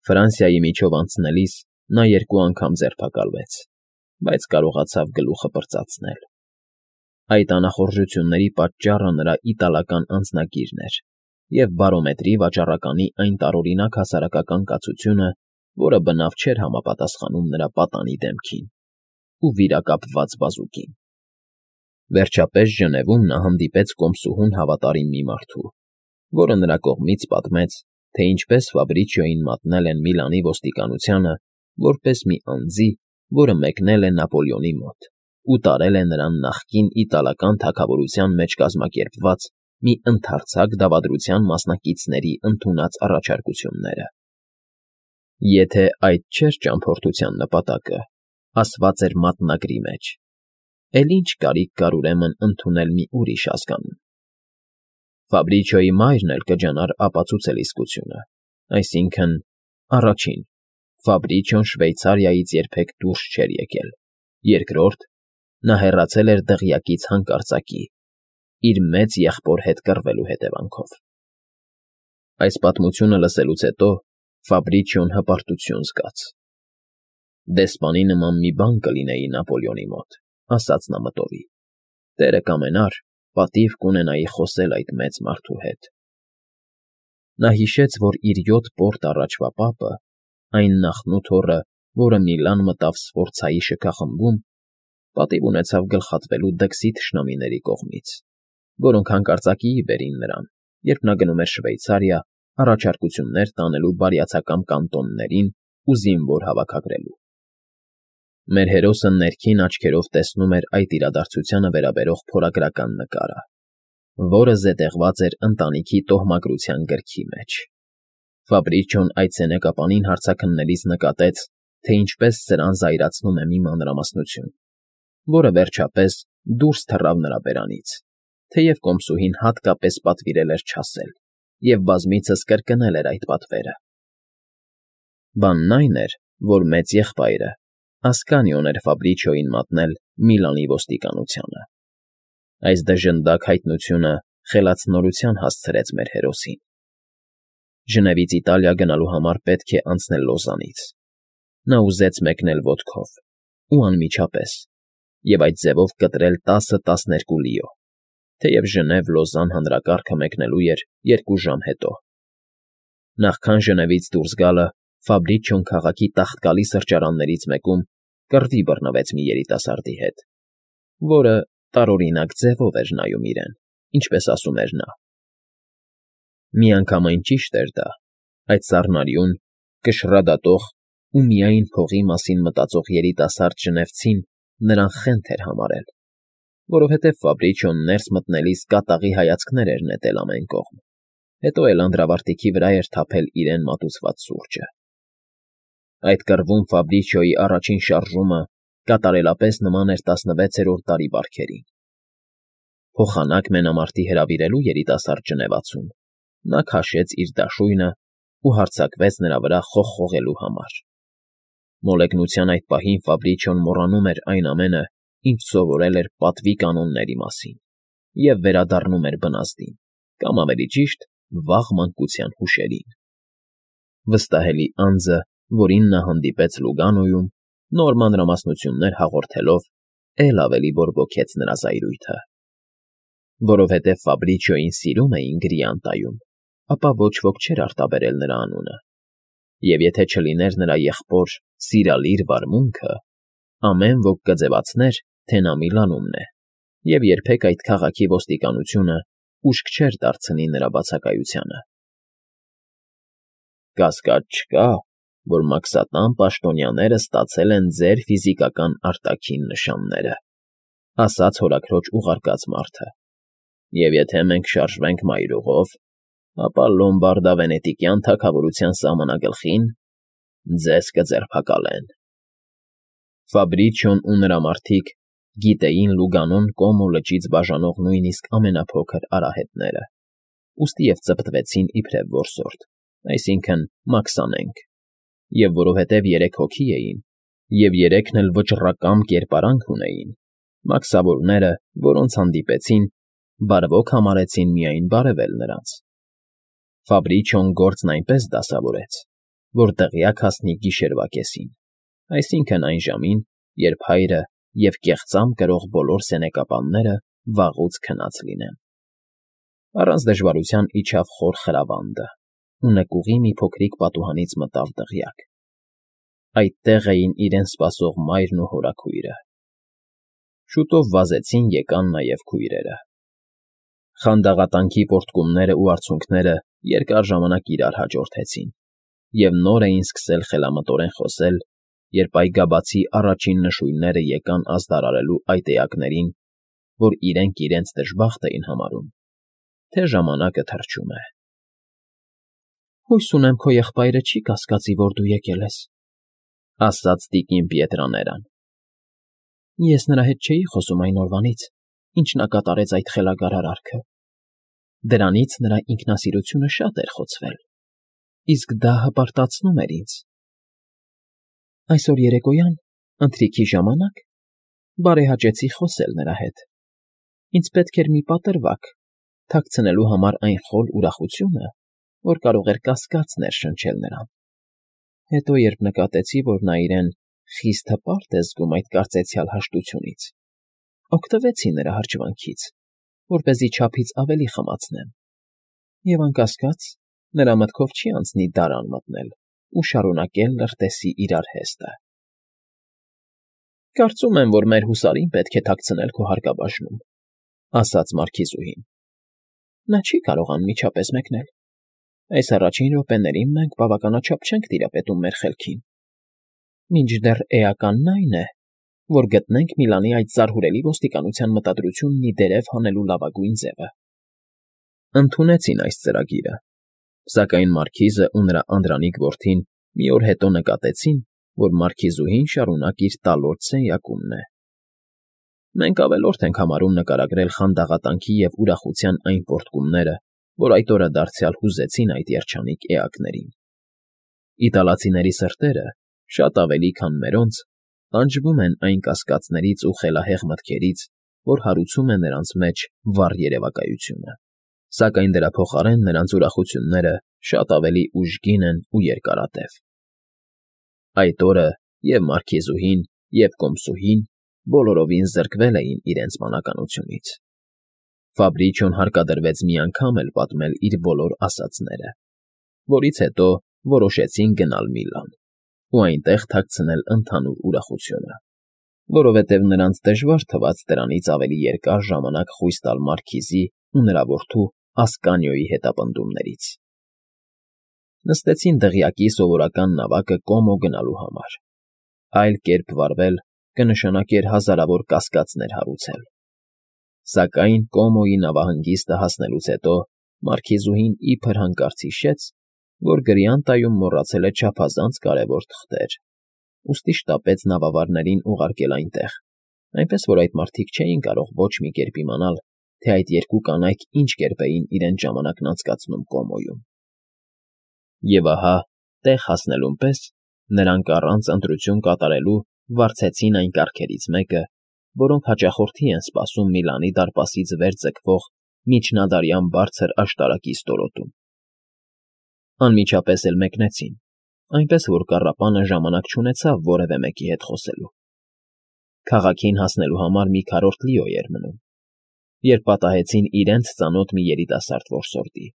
Ֆրանսիայի միջով անցնելիս նա 2 անգամ ձերբակալվեց, բայց կարողացավ գլուխը պրծացնել։ Այդ անախորժությունների պատճառը նրա իտալական անձնագիրն էր և բարոմետրի վաճառականի այն տարօրինակ հասարակական կացությունը, որը բնավ չէր համապատասխանում նրա պատանի դեմքին ու վիրակապված բազուկին։ Վերջապես Ժնևում նա հանդիպեց կոմսուհուն հավատարիմ մի մարդու, որը նրա կողմից պատմեց, թե ինչպես Ֆաբրիչիոյին մատնել են Միլանի ոստիկանությանը որպես մի անձի, որը մեկնել է Նապոլեոնի մոտ ու տարել է նրան նախկին իտալական թագավորության մեջ կազմակերպված մի ընդարձակ դավադրության մասնակիցների ընդունած առաջարկությունները։ Եթե այդ չէր ճամփորդության նպատակը, ասված էր մատնագրի մեջ, էլ ինչ կարիք կար ուրեմն ընդունել մի ուրիշ ազգանուն։ Ֆաբրիչիոյի մայրն էլ կջանար ապացուցել իսկությունը, այսինքն՝ առաջին, Ֆաբրիչիոն Շվեյցարիայից երբեք դուրս չէր եկել, երկրորդ, նա հեռացել էր դղյակից հանկարծակի, իր մեծ եղբոր հետ կռվելու հետևանքով։ Այս պատմությունը լսելուց հետո Ֆաբրիչիոն հպարտություն զգաց։ «Դեսպանի նման մի բան կլինեի Նապոլեոնի մոտ», ասաց նա մտորի, «տերը կամենար, պատիվ կունենայի խոսել այդ մեծ մարդու հետ»։ Նա հիշեց, որ իր 7 պորտ առաջվա պապը, այն նախնութոռը, որը Միլան մտավ Սֆորցայի շքախմբում, պատիվ ունեցավ գլխատվելու դքսի թշնամիների կողմից, որոնք հանկարծակիի բերին նրան, երբ նա գնում էր Շվեյցարիա առաջարկություններ տանելու բարյացակամ կանտոններին ու զինվոր հավաքագրելու։ Մեր հերոսը ներքին աչքերով տեսնում էր այդ իրադարձությանը վերաբերող փորագրական նկարը, որը զետեղված էր ընտանիքի տոհմագրության գրքի մեջ։ Ֆաբրիչիոն այդ սենեկապանին հարցաքննելիս նկատեց, թե ինչպես սրան զայրացնում է մի մանրամասնություն, որը վերջապես դուրս թռավ նրա բերանից, թեև կոմսուհին հատկապես պատվիրել էր չասել և բազմիցս կրկնել էր այդ պատվերը։ Բանն այն էր, որ մեծ եղբայրը Ասկանիոն էր Ֆաբրիչիոյին մատնել Միլանի ոստիկանությանը։ Այս դժնդակ հայտնությունը խելացնորության հասցրեց մեր հերոսին։ Ժնևից Իտալիա գնալու համար պետք է անցնել Լոզանից։ Նա ուզեց մեկնել ոտքով ու անմիջապես և այդ ձևով կտրել 10-12 լիո, թեև Ժնև-Լոզան հանրակարգը մեկնելու էր 2 ժամ հետո։ Նախքան Ժնևից դուրս գալը Ֆաբրիչիոն քաղաքի տաղտկալի սրճարաններից մեկում կռվի բռնվեց մի երիտասարդի հետ, որը տարօրինակ ձևով էր նայում իրեն, ինչպես ասում էր նա։ Միանգամայն ճիշտ էր դա, այդ սառնարյուն, կշռադատող ու միայն փողի մասին մտածող երիտասարդ ժնևցին նրան խենթ էր համարել, որովհետև Ֆաբրիչիոն ներս մտնելիս կատաղի հայացքներ էր նետել ամեն կողմ, հետո էլ անդրավարտիքի վրա էր թափել իրեն մատուցված սուրճը։ Այդ կռվում Ֆաբրիչիոյի առաջին շարժումը կատարելապես նման էր 16-րդ դարի բարքերին։ Փոխանակ մենամարտի հրավիրելու երիտասարդ ժնևացուն նա քաշեց իր դաշույնը ու հարձակվեց նրա վրա խողխողելու համար։ Մոլեգնության այդ պահին Ֆաբրիչիոն մոռանում էր այն ամենը, ինչ սովորել էր պատվի կանոնների մասին, և վերադառնում էր բնազդին, կամ ավելի ճիշտ, վաղ մանկության հուշերին։ Վստահելի անձը, որին նա հանդիպեց Լուգանոյում, նոր մանրամասնություններ հաղորդելով, էլ ավելի բորբոքեց նրա զայրույթը։ Որովհետև Ֆաբրիչիոյին սիրում էին Գրիանտայում, ապա ոչ ոք չէր արտաբերել նրա անունը, և եթե չլիներ նրա եղբոր Սիրալիր վարմունքը, ամեն ոք կձևացներ, թե նա Միլանումն է, և երբեք այդ քաղաքի ոստիկանությունը ուշք չէր դարձնի նրա բացակայությանը։ Կասկած չկա, որ մաքսատան պաշտոնյաները ստացել են ձեր ֆիզիկական արտաքին նշանները, ասաց հորաքրոջ ուղարկած մարդը, և եթե մենք շարժվենք մայրուղով, ապա Լոմբարդա֊Վենետիկյան թագավորության սահմանագլխին ձեզ կձերբակալեն։ Ֆաբրիչիոն ու նրա մարդիկ գիտեին Լուգանոն Կոմո լճից բաժանող նույնիսկ ամենափոքր արահետները, ուստի և ծպտվեցին իբրև որսորդ, այսինքն՝ մաքսանենգ, և որովհետև 3 հոգի էին, և 3-ն էլ վճռակամ կերպարանք ունեին, մաքսավորները, որոնց հանդիպեցին, բարվոք համարեցին միայն բարևել նրանց։ Ֆաբրիչիոն գործն այնպես դասավորեց, որ տեղյակ հասնի գիշերվա կեսին, այսինքն այն ժամին, երբ հայրը և կեղծամ կրող բոլոր սենեկապանները վաղուց քնած լինեն։ Առանց դժվարության իջավ խոր խրավանդը ու նկուղի մի փոքրիկ պատուհանից մտավ դղյակ։ Այդտեղ էին իրեն սպասող մայրն ու հորաքույրը։ Շուտով վազեցին եկան նաև քույրերը։ Խանդաղատանքի պոռթկումներն ու արցունքները երկար ժամանակ իրար հաջորդեցին, և նոր էին սկսել խելամտորեն խոսել, երբ այգաբացի առաջին նշույլները եկան ազդարարելու այդ էակներին, որ իրենք իրենց դժբախտ էին համարում, թե ժամանակը թռչում է։ «Հույս ունեմ, քո եղբայրը չի կասկածի, որ դու եկել ես», ասաց տիկին Պիետրաներան։ «Ես նրա հետ չէի խոսում այն օրվանից, ինչ նա կատարեց այդ խելագար արարքը։ Դրանից նրա ինքնասիրությունը շատ էր խոցվել, իսկ դա հպարտացնում էր ինձ։ Այսօր երեկոյան, ընթրիքի ժամանակ, բարեհաճեցի խոսել նրա հետ։ Ինձ պետք էր մի պատրվակ, թաքցնելու համար այն խոլ ուրախությունը, որ կարող էր կասկած ներշնչել նրան։ Հետո, երբ նկատեցի, որ նա իրեն խիստ հպարտ է զգում այդ կարծեցյալ հաշտությունից, օգտվեցի նրա հրճվանքից, որպեսզի չափից ավելի խմացնեմ, և անկասկած, նրա մտքով չի անցնի դարան մտնել ու շարունակել լրտեսի իրար հեստը։ Կարծում եմ, որ մեր հուսարին պետք է թաքցնել քո հարկաբաժնում, ասաց մարքիզուհին։ Նա չի կարող անմիջապես մեկնել։ Այս առաջին րոպեներին մենք բավականաչափ չենք տիրապետում մեր խելքին։ Մինչդեռ էականն այն է, որ գտնենք Միլանի այդ զարհուրելի ոստիկանության մտադրությունն ի դերև հանելու լավագույն ձևը։ Ընդունեցին այս ծրագիրը, սակայն մարքիզը ու նրա անդրանիկ որդին մի օր հետո նկատեցին, որ մարքիզուհին շարունակ իր տալորդ սենյակումն է։ Մենք ավելորդ ենք համարում նկարագրել խանդաղատանքի և ուրախության այն պոռթկումները, որ այդ օրը դարձյալ հուզեցին այդ երջանիկ էակներին։ Իտալացիների սրտերը, շատ ավելի, քան մերոնց, տանջվում են այն կասկածներից ու խելահեղ մտքերից, որ հարուցում է նրանց մեջ վառ երևակայությունը, սակայն դրա փոխարեն նրանց ուրախությունները շատ ավելի ուժգին են ու երկարատև։ Այդ օրը և՛ մարքիզուհին, և՛ կոմսուհին բոլորովին զրկվել էին իրենց մանականությունից։ Ֆաբրիչոն հարկադրվեց մի անգամ էլ պատմել իր բոլոր ասածները, որից հետո որոշեցին գնալ Միլան ու այնտեղ թաքցնել ընդհանուր ուրախությունը, որովհետև նրանց դժվար թվաց դրանից ավելի երկար ժամանակ խույս տալ մարքիզի ու նրա որդու Ասկանիոյի հետապնդումներից։ Նստեցին դղյակի սովորական նավակը Կոմո գնալու համար։ Այլ կերպ վարվել կնշանակեր հազարավոր կասկածներ հարուցել։ Սակայն Կոմոյի նավահանգիստը հասնելուց հետո մարքիզուհին իբր հանկարծ հիշեց, որ Գրիանտայում մոռացել է չափազանց կարևոր թղթեր, ուստի շտապեց նավավարներին ուղարկել այնտեղ, այնպես որ այդ մարդիկ չէին կարող ոչ մի կերպ իմանալ, թե այդ երկու կանայք ինչ կերպ էին իրենց ժամանակն անցկացնում Կոմոյում։ Եվ ահա, տեղ հասնելուն պես նրանք առանց ընտրություն կատարելու վարձեցին այն կառքերից մեկը, որոնք հաճախորդի են սպասում Միլանի դարպասից վեր ձգվող միջնադարյան բարձր աշտարակի ստորոտում։ Անմիջապես էլ մեկնեցին, այնպես որ կառապանը ժամանակ չունեցավ որևէ մեկի հետ խոսելու։ Քաղաքին հասնելու համար մի քառորդ լիո էր մնում, երբ պատահեցին իրենց ծանոթ մի երիտասարդ որսորդի։